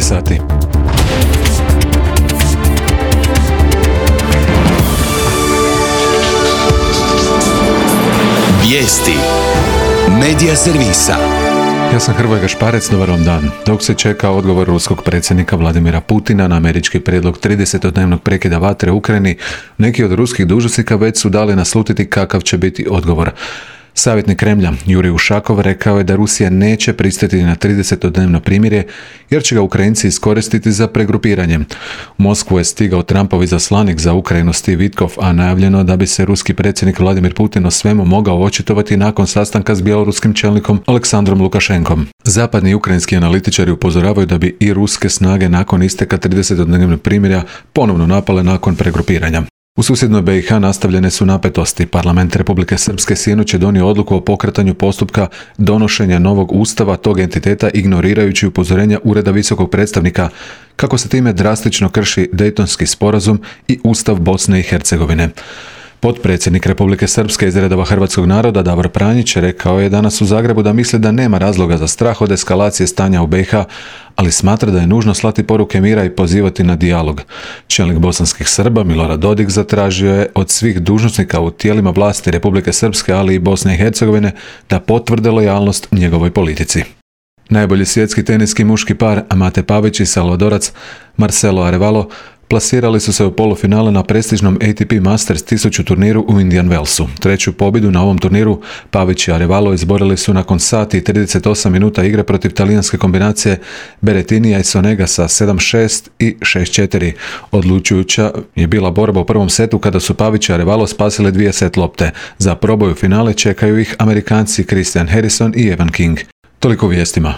sati. Vijesti Medija servisa. Ja sam Hrvoje Gašparec, dobar vam dan. Dok se čeka odgovor ruskog predsjednika Vladimira Putina na američki prijedlog 30-dnevnog prekida vatre u Ukrajini, neki od ruskih dužnosnika već su dali naslutiti kakav će biti odgovor. Savjetnik Kremlja Jurij Ušakov rekao je da Rusija neće pristati na 30-dnevno primirje jer će ga Ukrajinci iskoristiti za pregrupiranje. U Moskvu je stigao Trumpov izaslanik za Ukrajinu Steve Witkoff, a najavljeno da bi se ruski predsjednik Vladimir Putin o svemu mogao očitovati nakon sastanka s bjeloruskim čelnikom Aleksandrom Lukašenkom. Zapadni i ukrajinski analitičari upozoravaju da bi i ruske snage nakon isteka 30-dnevnog primirja ponovno napale nakon pregrupiranja. U susjednoj BiH nastavljene su napetosti. Parlament Republike Srpske sinoć je donio odluku o pokretanju postupka donošenja novog ustava tog entiteta ignorirajući upozorenja Ureda visokog predstavnika kako se time drastično krši Dejtonski sporazum i Ustav Bosne i Hercegovine. Potpredsjednik Republike Srpske iz redova hrvatskog naroda Davor Pranjić rekao je danas u Zagrebu da misli da nema razloga za strah od eskalacije stanja u BiH, ali smatra da je nužno slati poruke mira i pozivati na dijalog. Čelnik bosanskih Srba Milorad Dodik zatražio je od svih dužnosnika u tijelima vlasti Republike Srpske, ali i Bosne i Hercegovine da potvrde lojalnost njegovoj politici. Najbolji svjetski teniski muški par Mate Pavić i salvadorac Marcelo Arevalo plasirali su se u polufinale na prestižnom ATP Masters 1000 turniru u Indian Wellsu. Treću pobjedu na ovom turniru Pavić i Arevalo izborili su nakon sati i 38 minuta igre protiv talijanske kombinacije Berrettinija i Sonega sa 7-6 i 6-4. Odlučujuća je bila borba u prvom setu kada su Pavić i Arevalo spasili 2 set lopte. Za proboj u finale čekaju ih Amerikanci Christian Harrison i Evan King. Toliko vijestima.